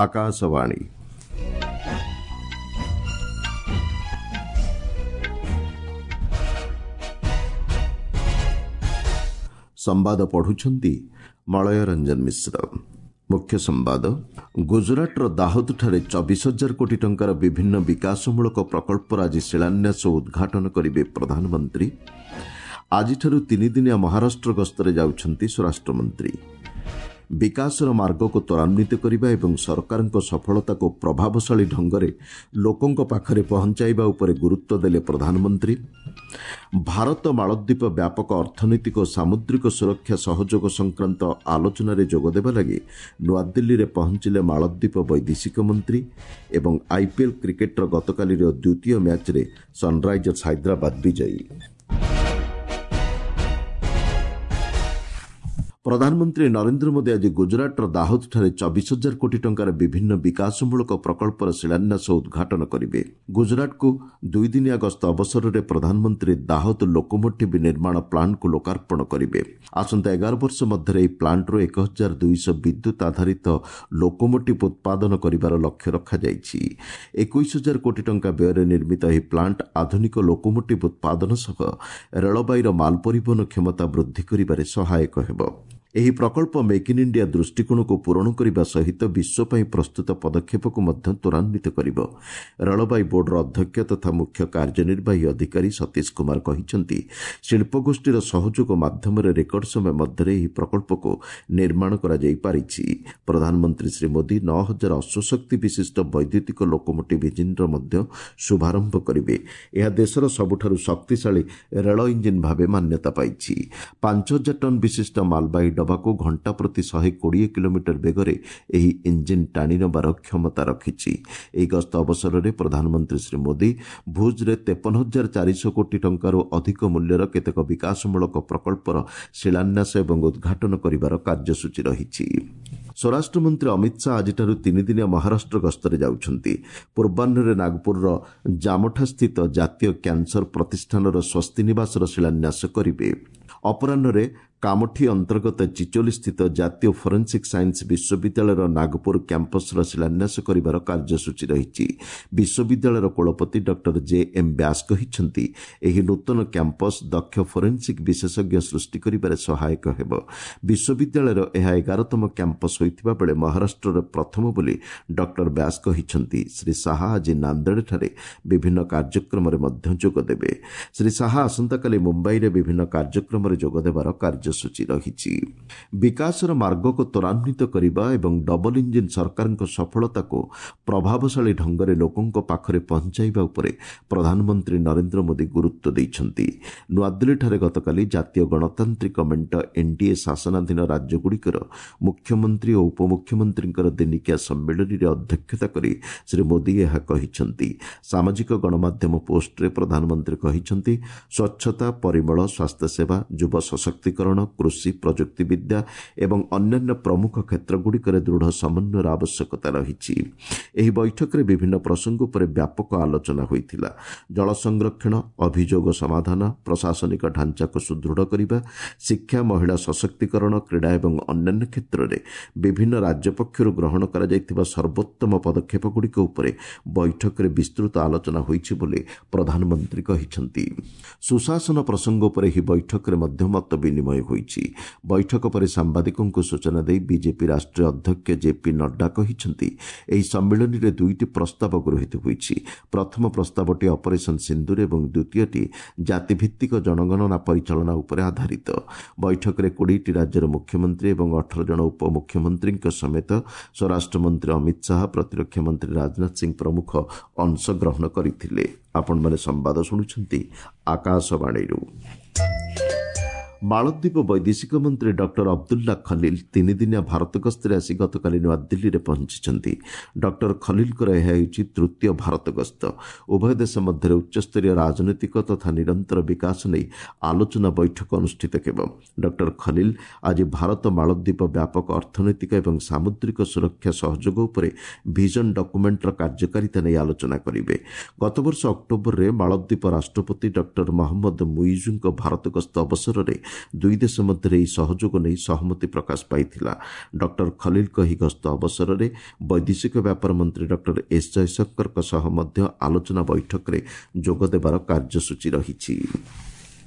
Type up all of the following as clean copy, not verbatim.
ଆକାଶବାଣୀ। ସମ୍ବାଦ ପଢୁଛନ୍ତି ମଳୟ ରଞ୍ଜନ ମିଶ୍ର। ମୁଖ୍ୟ ସମ୍ବାଦ। ଗୁଜରାଟର ଦାହୋଦଠାରେ 24 ହଜାର କୋଟି ଟଙ୍କାର ବିଭିନ୍ନ ବିକାଶମୂଳକ ପ୍ରକଳ୍ପର ଆଜି ଶିଳାନ୍ୟାସ ଓ ଉଦ୍ଘାଟନ କରିବେ ପ୍ରଧାନମନ୍ତ୍ରୀ। ଆଜିଠାରୁ ତିନିଦିନିଆ ମହାରାଷ୍ଟ୍ର ଗସ୍ତରେ ଯାଉଛନ୍ତି ସ୍ୱରାଷ୍ଟ୍ରମନ୍ତ୍ରୀ। ବିକାଶର ମାର୍ଗକୁ ତ୍ୱରାନ୍ୱିତ କରିବା ଏବଂ ସରକାରଙ୍କ ସଫଳତାକୁ ପ୍ରଭାବଶାଳୀ ଢଙ୍ଗରେ ଲୋକଙ୍କ ପାଖରେ ପହଞ୍ଚାଇବା ଉପରେ ଗୁରୁତ୍ୱ ଦେଲେ ପ୍ରଧାନମନ୍ତ୍ରୀ। ଭାରତ ମାଳଦ୍ୱୀପ ବ୍ୟାପକ ଅର୍ଥନୈତିକ ଓ ସାମୁଦ୍ରିକ ସୁରକ୍ଷା ସହଯୋଗ ସଂକ୍ରାନ୍ତ ଆଲୋଚନାରେ ଯୋଗଦେବା ଲାଗି ନୂଆଦିଲ୍ଲୀରେ ପହଞ୍ଚିଲେ ମାଳଦ୍ୱୀପ ବୈଦେଶିକ ମନ୍ତ୍ରୀ। ଏବଂ ଆଇପିଏଲ୍ କ୍ରିକେଟ୍ର ଗତକାଲିର ଦ୍ୱିତୀୟ ମ୍ୟାଚ୍ରେ ସନ୍ରାଇଜର୍ସ ହାଇଦ୍ରାବାଦ ବିଜୟୀ। ପ୍ରଧାନମନ୍ତ୍ରୀ ନରେନ୍ଦ୍ର ମୋଦି ଆଜି ଗୁଜରାଟର ଦାହୋଦଠାରେ 24 ହଜାର କୋଟି ଟଙ୍କାର ବିଭିନ୍ନ ବିକାଶମୂଳକ ପ୍ରକଳ୍ପର ଶିଳାନ୍ୟାସ ଓ ଉଦ୍ଘାଟନ କରିବେ। ଗୁଜରାଟକୁ ଦୁଇଦିନିଆ ଗସ୍ତ ଅବସରରେ ପ୍ରଧାନମନ୍ତ୍ରୀ ଦାହୋଦ ଲୋକୋମୋଟିଭ୍ ନିର୍ମାଣ ପ୍ଲାଣ୍ଟକୁ ଲୋକାର୍ପଣ କରିବେ। ଆସନ୍ତା 11 ବର୍ଷ ମଧ୍ୟରେ ଏହି ପ୍ଲାଣ୍ଟରୁ 1200 ବିଦ୍ୟୁତ୍ ଆଧାରିତ ଲୋକୋମୋଟିଭ୍ ଉତ୍ପାଦନ କରିବାର ଲକ୍ଷ୍ୟ ରଖାଯାଇଛି। 21 ହଜାର କୋଟି ଟଙ୍କା ବ୍ୟୟରେ ନିର୍ମିତ ଏହି ପ୍ଲାଣ୍ଟ ଆଧୁନିକ ଲୋକୋମୋଟିଭ୍ ଉତ୍ପାଦନ ସହ ରେଳବାଇର ମାଲ ପରିବହନ କ୍ଷମତା ବୃଦ୍ଧି କରିବାରେ ସହାୟକ ହେବ। ଏହି ପ୍ରକଳ୍ପ ମେକ୍ ଇନ୍ ଇଣ୍ଡିଆ ଦୃଷ୍ଟିକୋଣକୁ ପୂରଣ କରିବା ସହିତ ବିଶ୍ୱ ପାଇଁ ପ୍ରସ୍ତୁତ ପଦକ୍ଷେପକୁ ମଧ୍ୟ ତ୍ୱରାନ୍ୱିତ କରିବ। ରେଳବାଇ ବୋର୍ଡର ଅଧ୍ୟକ୍ଷ ତଥା ମୁଖ୍ୟ କାର୍ଯ୍ୟନିର୍ବାହୀ ଅଧିକାରୀ ସତୀଶ କୁମାର କହିଛନ୍ତି, ଶିଳ୍ପଗୋଷ୍ଠୀର ସହଯୋଗ ମାଧ୍ୟମରେ ରେକର୍ଡ ସମୟ ମଧ୍ୟରେ ଏହି ପ୍ରକଳ୍ପକୁ ନିର୍ମାଣ କରାଯାଇ ପାରିଛି। ପ୍ରଧାନମନ୍ତ୍ରୀ ଶ୍ରୀ ମୋଦି 9000 ଅଶ୍ୱଶକ୍ତି ବିଶିଷ୍ଟ ବୈଦ୍ୟୁତିକ ଲୋକୋମୋଟିଭ୍ ଇଞ୍ଜିନ୍ର ମଧ୍ୟ ଶୁଭାରମ୍ଭ କରିବେ। ଏହା ଦେଶର ସବୁଠାରୁ ଶକ୍ତିଶାଳୀ ରେଳ ଇଞ୍ଜିନ୍ ଭାବେ ମାନ୍ୟତା ପାଇଛି। 5000 ଟନ୍ ବିଶିଷ୍ଟ ମାଲବାହୀ ଡବାକୁ ଘଣ୍ଟା ପ୍ରତି 120 କିଲୋମିଟର ବେଗରେ ଏହି ଇଞ୍ଜିନ୍ ଟାଣି ନେବାର କ୍ଷମତା ରଖିଛି। ଏହି ଗସ୍ତ ଅବସରରେ ପ୍ରଧାନମନ୍ତ୍ରୀ ଶ୍ରୀ ମୋଦି ଭୁଜ୍ରେ 53,400 କୋଟି ଟଙ୍କାରୁ ଅଧିକ ମୂଲ୍ୟର କେତେକ ବିକାଶମୂଳକ ପ୍ରକଳ୍ପର ଶିଳାନ୍ୟାସ ଏବଂ ଉଦ୍ଘାଟନ କରିବାର କାର୍ଯ୍ୟସୂଚୀ ରହିଛି। ସ୍ୱରାଷ୍ଟ୍ରମନ୍ତ୍ରୀ ଅମିତ ଶାହା ଆଜିଠାରୁ ତିନିଦିନିଆ ମହାରାଷ୍ଟ୍ର ଗସ୍ତରେ ଯାଉଛନ୍ତି। ପୂର୍ବାହ୍ନରେ ନାଗପୁରର ଜାମଠାସ୍ଥିତ ଜାତୀୟ କ୍ୟାନ୍ସର ପ୍ରତିଷ୍ଠାନର ସ୍ୱସ୍ତି ନିବାସର ଶିଳାନ୍ୟାସ କରିବେ। ଅପରାହ୍ନରେ କାମଠି ଅନ୍ତର୍ଗତ ଚିଚୋଲିସ୍ଥିତ ଜାତୀୟ ଫୋରେନ୍ସିକ୍ ସାଇନ୍ସ ବିଶ୍ୱବିଦ୍ୟାଳୟର ନାଗପୁର କ୍ୟାମ୍ପସ୍ର ଶିଳାନ୍ୟାସ କରିବାର କାର୍ଯ୍ୟସୂଚୀ ରହିଛି। ବିଶ୍ୱବିଦ୍ୟାଳୟର କୁଳପତି ଡକ୍ଟର ଜେ ଏମ୍ ବ୍ୟାସ କହିଛନ୍ତି, ଏହି ନୂତନ କ୍ୟାମ୍ପସ୍ ଦକ୍ଷ ଫୋରେନ୍ସିକ୍ ବିଶେଷଜ୍ଞ ସୃଷ୍ଟି କରିବାରେ ସହାୟକ ହେବ। ବିଶ୍ୱବିଦ୍ୟାଳୟର ଏହା 11ତମ କ୍ୟାମ୍ପସ୍ ହୋଇଥିବା ବେଳେ ମହାରାଷ୍ଟ୍ରରେ ପ୍ରଥମ ବୋଲି ଡକ୍ଟର ବ୍ୟାସ କହିଛନ୍ତି। ଶ୍ରୀ ଶାହା ଆଜି ନାନ୍ଦେଡ଼ଠାରେ ବିଭିନ୍ନ କାର୍ଯ୍ୟକ୍ରମରେ ମଧ୍ୟ ଯୋଗଦେବେ। ଶ୍ରୀ ଶାହା ଆସନ୍ତାକାଲି ମୁମ୍ବାଇରେ ବିଭିନ୍ନ କାର୍ଯ୍ୟକ୍ରମରେ ଯୋଗଦେବାର କାର୍ଯ୍ୟସୂଚୀ ରହିଛି। ବିକାଶର ମାର୍ଗକୁ ତ୍ୱରାନ୍ୱିତ କରିବା ଏବଂ ଡବଲ ଇଞ୍ଜିନ୍ ସରକାରଙ୍କ ସଫଳତାକୁ ପ୍ରଭାବଶାଳୀ ଢଙ୍ଗରେ ଲୋକଙ୍କ ପାଖରେ ପହଞ୍ଚାଇବା ଉପରେ ପ୍ରଧାନମନ୍ତ୍ରୀ ନରେନ୍ଦ୍ର ମୋଦି ଗୁରୁତ୍ୱ ଦେଇଛନ୍ତି। ନୂଆଦିଲ୍ଲୀଠାରେ ଗତକାଲି ଜାତୀୟ ଗଣତାନ୍ତ୍ରିକ ମେଣ୍ଟ ଏନ୍ଡିଏ ଶାସନାଧୀନ ରାଜ୍ୟଗୁଡ଼ିକର ମୁଖ୍ୟମନ୍ତ୍ରୀ ଓ ଉପମୁଖ୍ୟମନ୍ତ୍ରୀଙ୍କର ଦିନିକିଆ ସମ୍ମିଳନୀରେ ଅଧ୍ୟକ୍ଷତା କରି ଶ୍ରୀ ମୋଦି ଏହା କହିଛନ୍ତି। ସାମାଜିକ ଗଣମାଧ୍ୟମ ପୋଷ୍ଟରେ ପ୍ରଧାନମନ୍ତ୍ରୀ କହିଛନ୍ତି, ସ୍ୱଚ୍ଛତା, ପରିମଳ, ସ୍ୱାସ୍ଥ୍ୟସେବା, ଯୁବ ସଶକ୍ତିକରଣ, କୃଷି, ପ୍ରଯୁକ୍ତିବିଦ୍ୟା ଏବଂ ଅନ୍ୟାନ୍ୟ ପ୍ରମୁଖ କ୍ଷେତ୍ରଗୁଡ଼ିକରେ ଦୃଢ଼ ସମନ୍ୱୟର ଆବଶ୍ୟକତା ରହିଛି। ଏହି ବୈଠକରେ ବିଭିନ୍ନ ପ୍ରସଙ୍ଗ ଉପରେ ବ୍ୟାପକ ଆଲୋଚନା ହୋଇଥିଲା। ଜଳ ସଂରକ୍ଷଣ, ଅଭିଯୋଗ ସମାଧାନ, ପ୍ରଶାସନିକ ଢାଞ୍ଚାକୁ ସୁଦୃଢ଼ କରିବା, ଶିକ୍ଷା, ମହିଳା ସଶକ୍ତିକରଣ, କ୍ରୀଡ଼ା ଏବଂ ଅନ୍ୟାନ୍ୟ କ୍ଷେତ୍ରରେ ବିଭିନ୍ନ ରାଜ୍ୟ ପକ୍ଷରୁ ଗ୍ରହଣ କରାଯାଇଥିବା ସର୍ବୋତ୍ତମ ପଦକ୍ଷେପଗୁଡ଼ିକ ଉପରେ ବୈଠକରେ ବିସ୍ତୃତ ଆଲୋଚନା ହୋଇଛି ବୋଲି ପ୍ରଧାନମନ୍ତ୍ରୀ କହିଛନ୍ତି। ସୁଶାସନ ପ୍ରସଙ୍ଗ ଉପରେ ଏହି ବୈଠକରେ ମଧ୍ୟ ମତ ବିନିମୟ ହୋଇଛି। ବୈଠକ ପରେ ସାମ୍ବାଦିକଙ୍କୁ ସୂଚନା ଦେଇ ବିଜେପି ରାଷ୍ଟ୍ରୀୟ ଅଧ୍ୟକ୍ଷ ଜେପି ନଡ୍ଡା କହିଛନ୍ତି, ଏହି ସମ୍ମିଳନୀରେ ଦୁଇଟି ପ୍ରସ୍ତାବ ଗୃହୀତ ହୋଇଛି। ପ୍ରଥମ ପ୍ରସ୍ତାବଟି ଅପରେସନ୍ ସିନ୍ଦୁର ଏବଂ ଦ୍ୱିତୀୟଟି ଜାତିଭିତ୍ତିକ ଜନଗଣନା ପରିଚାଳନା ଉପରେ ଆଧାରିତ। ବୈଠକରେ 20ଟି ରାଜ୍ୟର ମୁଖ୍ୟମନ୍ତ୍ରୀ ଏବଂ 18 ଜଣ ଉପମୁଖ୍ୟମନ୍ତ୍ରୀଙ୍କ ସମେତ ସ୍ୱରାଷ୍ଟ୍ରମନ୍ତ୍ରୀ ଅମିତ ଶାହା, ପ୍ରତିରକ୍ଷା ମନ୍ତ୍ରୀ ରାଜନାଥ ସିଂ ପ୍ରମୁଖ ଅଂଶଗ୍ରହଣ କରିଥିଲେ। ଆପଣମାନେ ସମ୍ବାଦ ଶୁଣୁଛନ୍ତି ଆକାଶବାଣୀରୁ। ମାଳଦ୍ୱୀପ ବୈଦେଶିକ ମନ୍ତ୍ରୀ ଡକ୍ଟର ଅବଦୁଲ୍ଲା ଖଲିଲ ତିନିଦିନିଆ ଭାରତ ଗସ୍ତରେ ଆସି ଗତକାଲି ନୂଆଦିଲ୍ଲୀରେ ପହଞ୍ଚିଛନ୍ତି। ଡକ୍ଟର ଖଲିଲଙ୍କର ଏହା ହେଉଛି ତୃତୀୟ ଭାରତ ଗସ୍ତ। ଉଭୟ ଦେଶ ମଧ୍ୟରେ ଉଚ୍ଚସ୍ତରୀୟ ରାଜନୈତିକ ତଥା ନିରନ୍ତର ବିକାଶ ନେଇ ଆଲୋଚନା ବୈଠକ ଅନୁଷ୍ଠିତ ହେବ। ଡକ୍ଟର ଖଲିଲ ଆଜି ଭାରତ ମାଳଦ୍ୱୀପ ବ୍ୟାପକ ଅର୍ଥନୈତିକ ଏବଂ ସାମୁଦ୍ରିକ ସୁରକ୍ଷା ସହଯୋଗ ଉପରେ ଭିଜନ ଡକୁମେଣ୍ଟର କାର୍ଯ୍ୟକାରିତା ନେଇ ଆଲୋଚନା କରିବେ। ଗତବର୍ଷ ଅକ୍ଟୋବରରେ ମାଳଦ୍ୱୀପ ରାଷ୍ଟ୍ରପତି ଡକ୍ଟର ମହମ୍ମଦ ମୁଇଜୁଙ୍କ ଭାରତ ଗସ୍ତ ଅବସରରେ ଦୁଇ ଦେଶ ମଧ୍ୟରେ ଏହି ସହଯୋଗ ନେଇ ସହମତି ପ୍ରକାଶ ପାଇଥିଲା। ଡକ୍ଟର ଖଲିଲଙ୍କ ଏହି ଗସ୍ତ ଅବସରରେ ବୈଦେଶିକ ବ୍ୟାପାର ମନ୍ତ୍ରୀ ଡକ୍ଟର ଏସ୍ ଜୟଶଙ୍କରଙ୍କ ସହ ମଧ୍ୟ ଆଲୋଚନା ବୈଠକରେ ଯୋଗଦେବାର କାର୍ଯ୍ୟସୂଚୀ ରହିଛି।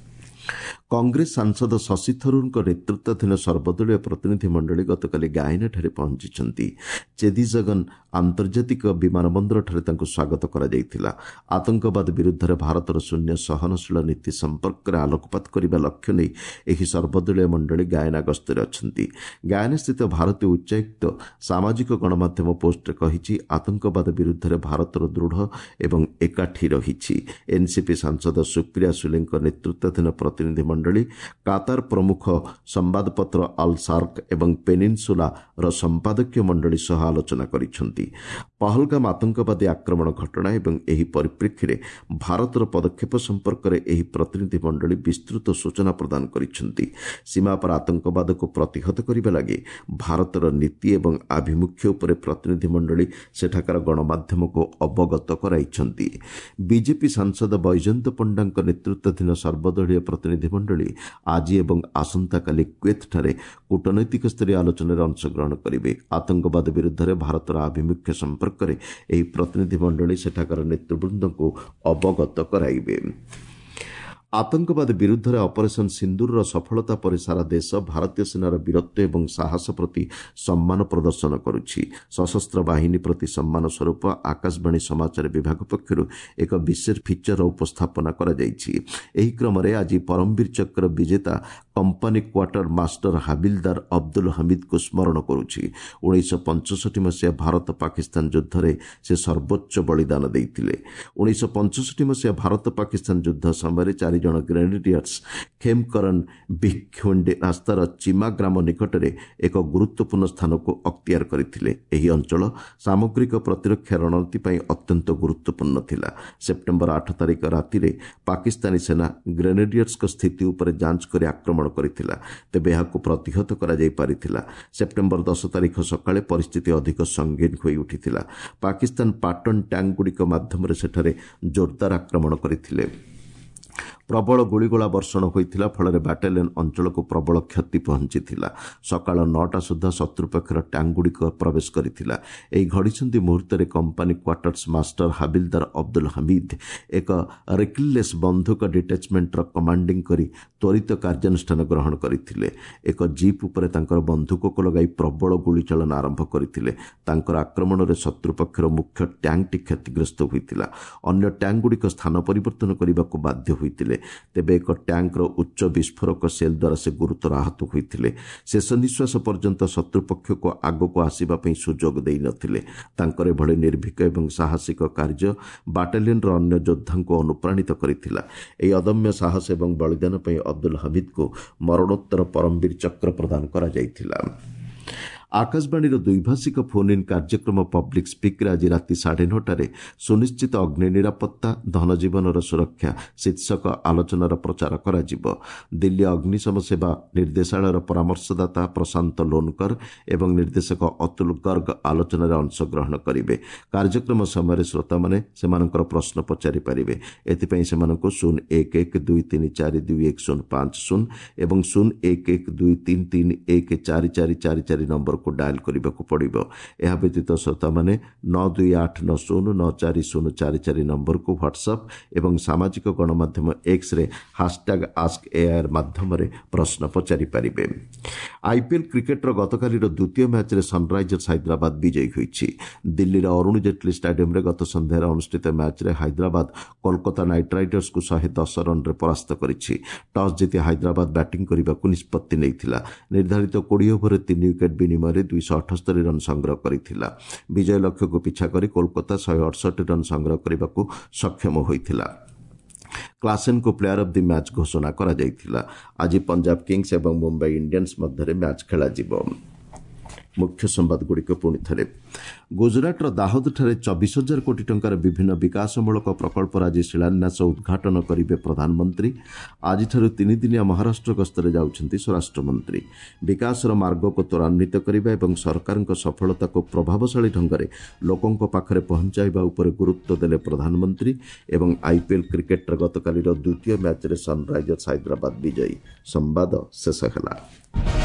କଂଗ୍ରେସ ସାଂସଦ ଶଶି ଥରୁରଙ୍କ ନେତୃତ୍ୱାଧୀନ ସର୍ବଦଳୀୟ ପ୍ରତିନିଧି ମଣ୍ଡଳୀ ଗତକାଲି ଗାୟନାଠାରେ ପହଞ୍ଚିଛନ୍ତି। ଚେଦିଜଗନ ଆନ୍ତର୍ଜାତିକ ବିମାନ ବନ୍ଦରଠାରେ ତାଙ୍କୁ ସ୍ୱାଗତ କରାଯାଇଥିଲା। ଆତଙ୍କବାଦ ବିରୁଦ୍ଧରେ ଭାରତର ଶୂନ୍ୟ ସହନଶୀଳ ନୀତି ସମ୍ପର୍କରେ ଆଲୋକପାତ କରିବା ଲକ୍ଷ୍ୟ ନେଇ ଏହି ସର୍ବଦଳୀୟ ମଣ୍ଡଳୀ ଗାୟନା ଗସ୍ତରେ ଅଛନ୍ତି। ଗାୟନାସ୍ଥିତ ଭାରତୀୟ ଉଚ୍ଚାୟୁକ୍ତ ସାମାଜିକ ଗଣମାଧ୍ୟମ ପୋଷ୍ଟରେ କହିଛି, ଆତଙ୍କବାଦ ବିରୁଦ୍ଧରେ ଭାରତର ଦୃଢ଼ ଏବଂ ଏକାଠି ରହିଛି। ଏନ୍ସିପି ସାଂସଦ ସୁପ୍ରିୟା ସୁଲେଙ୍କ ନେତୃତ୍ୱାଧୀନ ପ୍ରତିନିଧି ମଣ୍ଡଳୀ କାତାର ପ୍ରମୁଖ ସମ୍ବାଦପତ୍ର ଆଲ୍ ସାର୍କ ଏବଂ ପେନିନସୁଲାର ସମ୍ପାଦକୀୟ ମଣ୍ଡଳୀ ସହ ଆଲୋଚନା କରିଛନ୍ତି। ପହଲଗାମ ଆତଙ୍କବାଦୀ ଆକ୍ରମଣ ଘଟଣା ଏବଂ ଏହି ପରିପ୍ରେକ୍ଷୀରେ ଭାରତର ପଦକ୍ଷେପ ସମ୍ପର୍କରେ ଏହି ପ୍ରତିନିଧି ମଣ୍ଡଳୀ ବିସ୍ତୃତ ସୂଚନା ପ୍ରଦାନ କରିଛନ୍ତି। ସୀମାପାର ଆତଙ୍କବାଦକୁ ପ୍ରତିହତ କରିବା ଲାଗି ଭାରତର ନୀତି ଏବଂ ଆଭିମୁଖ୍ୟ ଉପରେ ପ୍ରତିନିଧି ମଣ୍ଡଳୀ ସେଠାକାର ଗଣମାଧ୍ୟମକୁ ଅବଗତ କରାଇଛନ୍ତି। ବିଜେପି ସାଂସଦ ବୈଜୟନ୍ତ ପଣ୍ଡାଙ୍କ ନେତୃତ୍ୱାଧୀନ ସର୍ବଦଳୀୟ ପ୍ରତିନିଧି ମଣ୍ଡଳୀ ଆଜି ଏବଂ ଆସନ୍ତାକାଲି କୁଏତ୍ଠାରେ କୂଟନୈତିକ ସ୍ତରୀୟ ଆଲୋଚନାରେ ଅଂଶଗ୍ରହଣ କରିବେ। ଆତଙ୍କବାଦ ବିରୁଦ୍ଧରେ ଭାରତର ଆଭିମୁଖ୍ୟ ସମ୍ପର୍କରେ ଏହି ପ୍ରତିନିଧି ମଣ୍ଡଳୀ ସେଠାକାର ନେତୃବୃନ୍ଦଙ୍କୁ ଅବଗତ କରାଇବେ। ଆତଙ୍କବାଦ ବିରୁଦ୍ଧରେ ଅପରେସନ୍ ସିନ୍ଦୁରର ସଫଳତା ପରେ ସାରା ଦେଶ ଭାରତୀୟ ସେନାର ବୀରତ୍ୱ ଏବଂ ସାହସ ପ୍ରତି ସମ୍ମାନ ପ୍ରଦର୍ଶନ କରୁଛି। ସଶସ୍ତ୍ର ବାହିନୀ ପ୍ରତି ସମ୍ମାନ ସ୍ୱରୂପ ଆକାଶବାଣୀ ସମାଚାର ବିଭାଗ ପକ୍ଷରୁ ଏକ ବିଶେଷ ଫିଚର ଉପସ୍ଥାପନା କରାଯାଇଛି। ଏହି କ୍ରମରେ ଆଜି ପରମବୀର ଚକ୍ର ବିଜେତା କମ୍ପାନୀ କ୍ୱାର୍ଟର ମାଷ୍ଟର ହାବିଲଦାର ଅବଦୁଲ ହମିଦଙ୍କୁ ସ୍ମରଣ କରୁଛି। 1965 ମସିହା ଭାରତ ପାକିସ୍ତାନ ଯୁଦ୍ଧରେ ସେ ସର୍ବୋଚ୍ଚ ବଳିଦାନ ଦେଇଥିଲେ। 1965 ମସିହା ଭାରତ ପାକିସ୍ତାନ ଯୁଦ୍ଧ ସମୟରେ 4 ଜଣ ଗ୍ରେନେଡିୟର୍ସ ଖେମକରନ ଭିଖୁଣ୍ଡି ରାସ୍ତାର ଚିମା ଗ୍ରାମ ନିକଟରେ ଏକ ଗୁରୁତ୍ୱପୂର୍ଣ୍ଣ ସ୍ଥାନକୁ ଅକ୍ତିଆର କରିଥିଲେ। ଏହି ଅଞ୍ଚଳ ସାମଗ୍ରିକ ପ୍ରତିରକ୍ଷା ରଣନୀତି ପାଇଁ ଅତ୍ୟନ୍ତ ଗୁରୁତ୍ୱପୂର୍ଣ୍ଣ ଥିଲା। ସେପ୍ଟେମ୍ବର 8 ତାରିଖ ରାତିରେ ପାକିସ୍ତାନୀ ସେନା ଗ୍ରେନେଡିୟର୍ସଙ୍କ ସ୍ଥିତି ଉପରେ ଯାଞ୍ଚ କରି ଆକ୍ରମଣ କରିଥିଲା। ତେବେ ଏହାକୁ ପ୍ରତିହତ କରାଯାଇ ପାରିଥିଲା। ସେପ୍ଟେମ୍ବର 10 ତାରିଖ ସକାଳେ ପରିସ୍ଥିତି ଅଧିକ ସଙ୍ଗୀନ ହୋଇ ଉଠିଥିଲା। ପାକିସ୍ତାନ ପାଟନ ଟ୍ୟାଙ୍କଗୁଡ଼ିକ ମାଧ୍ୟମରେ ସେଠାରେ ଜୋରଦାର ଆକ୍ରମଣ କରିଥିଲେ। ପ୍ରବଳ ଗୁଳିଗୋଳା ବର୍ଷଣ ହୋଇଥିଲା। ଫଳରେ ବାଟାଲିୟନ ଅଞ୍ଚଳକୁ ପ୍ରବଳ କ୍ଷତି ପହଞ୍ଚିଥିଲା। ସକାଳ 9ଟା ସୁଦ୍ଧା ଶତ୍ରୁପକ୍ଷର ଟ୍ୟାଙ୍କଗୁଡ଼ିକ ପ୍ରବେଶ କରିଥିଲା। ଏହି ଘଡ଼ିସନ୍ଧି ମୁହୂର୍ତ୍ତରେ କମ୍ପାନୀ କ୍ୱାର୍ଟର୍ସ ମାଷ୍ଟର ହାବିଲଦାର ଅବଦୁଲ ହମିଦ ଏକ ରିକିଲଲେସ୍ ବନ୍ଧୁକ ଡିଟାଚମେଣ୍ଟର କମାଣ୍ଡିଂ କରି ତ୍ୱରିତ କାର୍ଯ୍ୟାନୁଷ୍ଠାନ ଗ୍ରହଣ କରିଥିଲେ। ଏକ ଜିପ୍ ଉପରେ ତାଙ୍କର ବନ୍ଧୁକକୁ ଲଗାଇ ପ୍ରବଳ ଗୁଳିଚାଳନା ଆରମ୍ଭ କରିଥିଲେ। ତାଙ୍କର ଆକ୍ରମଣରେ ଶତ୍ରୁପକ୍ଷର ମୁଖ୍ୟ ଟ୍ୟାଙ୍କଟି କ୍ଷତିଗ୍ରସ୍ତ ହୋଇଥିଲା। ଅନ୍ୟ ଟ୍ୟାଙ୍କଗୁଡ଼ିକ ସ୍ଥାନ ପରିବର୍ତ୍ତନ କରିବାକୁ ବାଧ୍ୟ ହୋଇଥିଲେ। ତେବେ ଏକ ଟ୍ୟାଙ୍କର ଉଚ୍ଚ ବିସ୍ଫୋରକ ସେଲ୍ ଦ୍ୱାରା ସେ ଗୁରୁତର ଆହତ ହୋଇଥିଲେ। ଶେଷ ନିଃଶ୍ୱାସ ପର୍ଯ୍ୟନ୍ତ ଶତ୍ରୁପକ୍ଷକୁ ଆଗକୁ ଆସିବା ପାଇଁ ସୁଯୋଗ ଦେଇନଥିଲେ। ତାଙ୍କର ଏଭଳି ନିର୍ଭୀକ ଏବଂ ସାହସିକ କାର୍ଯ୍ୟ ବାଟାଲିୟନର ଅନ୍ୟ ଯୋଦ୍ଧାଙ୍କୁ ଅନୁପ୍ରାଣିତ କରିଥିଲା। ଏହି ଅଦମ୍ୟ ସାହସ ଏବଂ ବଳିଦାନ ପାଇଁ ଅବଦୁଲ ହମିଦଙ୍କୁ ମରଣୋତ୍ତର ପରମବୀର ଚକ୍ର ପ୍ରଦାନ କରାଯାଇଥିଲା। ଆକାଶବାଣୀର ଦ୍ୱିଭାଷିକ ଫୋନ୍ ଇନ୍ କାର୍ଯ୍ୟକ୍ରମ ପବ୍ଲିକ୍ ସ୍ପିକ୍ରେ ଆଜି ରାତି 9:30ରେ ସୁନିଶ୍ଚିତ ଅଗ୍ନି ନିରାପତ୍ତା, ଧନଜୀବନର ସୁରକ୍ଷା ଶୀର୍ଷକ ଆଲୋଚନାର ପ୍ରଚାର କରାଯିବ। ଦିଲ୍ଲୀ ଅଗ୍ନିଶମ ସେବା ନିର୍ଦ୍ଦେଶାଳୟର ପରାମର୍ଶଦାତା ପ୍ରଶାନ୍ତ ଲୋନକର ଏବଂ ନିର୍ଦ୍ଦେଶକ ଅତୁଲ ଗର୍ଗ ଆଲୋଚନାରେ ଅଂଶଗ୍ରହଣ କରିବେ। କାର୍ଯ୍ୟକ୍ରମ ସମୟରେ ଶ୍ରୋତାମାନେ ସେମାନଙ୍କର ପ୍ରଶ୍ନ ପଚାରିପାରିବେ। ଏଥିପାଇଁ ସେମାନଙ୍କୁ 0 1 1 2 3 4 2 1 0 5 0 ଏବଂ 0 1 1 2 3 3 1 4 4 4 4 ନମ୍ବରକୁ ଡାଏଲ୍ କରିବାକୁ ପଡ଼ିବ। ଏହା ବ୍ୟତୀତ ଶ୍ରୋତାମାନେ 9 2 8 9 0 9 4 0 4 4 ନମ୍ବରକୁ ହ୍ୱାଟ୍ସଆପ୍ ଏବଂ ସାମାଜିକ ଗଣମାଧ୍ୟମ ଏକ୍ସରେ ହାସଟ୍ୟାଗ୍ ଆସ୍କ ଏଆଇଆର୍ ମାଧ୍ୟମରେ ପ୍ରଶ୍ନ ପଚାରିପାରିବେ। ଆଇପିଏଲ୍ କ୍ରିକେଟର ଗତକାଲିର ଦ୍ୱିତୀୟ ମ୍ୟାଚ୍ରେ ସନ୍ରାଇଜର୍ସ ହାଇଦ୍ରାବାଦ ବିଜୟୀ ହୋଇଛି। ଦିଲ୍ଲୀର ଅରୁଣ ଜେଟଲୀ ଷ୍ଟାଡିୟମରେ ଗତ ସନ୍ଧ୍ୟାରେ ଅନୁଷ୍ଠିତ ମ୍ୟାଚ୍ରେ ହାଇଦ୍ରାବାଦ କୋଲକାତା ନାଇଟ୍ ରାଇଡର୍ସକୁ 110 ରନ୍ରେ ପରାସ୍ତ କରିଛି। ଟସ୍ ଜିତି ହାଇଦ୍ରାବାଦ ବ୍ୟାଟିଂ କରିବାକୁ ନିଷ୍ପତ୍ତି ନେଇଥିଲା। ନିର୍ଦ୍ଧାରିତ 20 ଓଭରରେ 3 ୱିକେଟ୍ ବିନିମୟରେ 278 ରନ୍ ସଂଗ୍ରହ କରିଥିଲା। ବିଜୟ ଲକ୍ଷ୍ୟକୁ ପିଛା କରି କୋଲକାତା 168 ରନ୍ ସଂଗ୍ରହ କରିବାକୁ ସକ୍ଷମ ହୋଇଥିଲା। କ୍ଲାସେନ୍ଙ୍କୁ ପ୍ଲେୟାର ଅଫ୍ the match ଘୋଷଣା କରାଯାଇଥିଲା। ଆଜି ପଞ୍ଜାବ କିଙ୍ଗସ୍ ଏବଂ ମୁମ୍ବାଇ ଇଣ୍ଡିଆନ୍ସ ମଧ୍ୟରେ ମ୍ୟାଚ୍ ଖେଳାଯିବ। ମୁଖ୍ୟ ସମ୍ବାଦଗୁଡ଼ିକ ପୁଣି ଥରେ। ଗୁଜରାଟର ଦାହୋଦଠାରେ 24 ହଜାର କୋଟି ଟଙ୍କାର ବିଭିନ୍ନ ବିକାଶମୂଳକ ପ୍ରକଳ୍ପର ଆଜି ଶିଳାନ୍ୟାସ, ଉଦ୍ଘାଟନ କରିବେ ପ୍ରଧାନମନ୍ତ୍ରୀ। ଆଜିଠାରୁ ତିନିଦିନିଆ ମହାରାଷ୍ଟ୍ର ଗସ୍ତରେ ଯାଉଛନ୍ତି ସ୍ୱରାଷ୍ଟ୍ରମନ୍ତ୍ରୀ। ବିକାଶର ମାର୍ଗକୁ ତ୍ୱରାନ୍ୱିତ କରିବା ଏବଂ ସରକାରଙ୍କ ସଫଳତାକୁ ପ୍ରଭାବଶାଳୀ ଢଙ୍ଗରେ ଲୋକଙ୍କ ପାଖରେ ପହଞ୍ଚାଇବା ଉପରେ ଗୁରୁତ୍ୱ ଦେଲେ ପ୍ରଧାନମନ୍ତ୍ରୀ। ଏବଂ ଆଇପିଏଲ୍ କ୍ରିକେଟ୍ର ଗତକାଲିର ଦ୍ୱିତୀୟ ମ୍ୟାଚ୍ରେ ସନ୍ରାଇଜର୍ସ ହାଇଦ୍ରାବାଦ ବିଜୟୀ। ସମ୍ବାଦ ଶେଷ ହେଲା।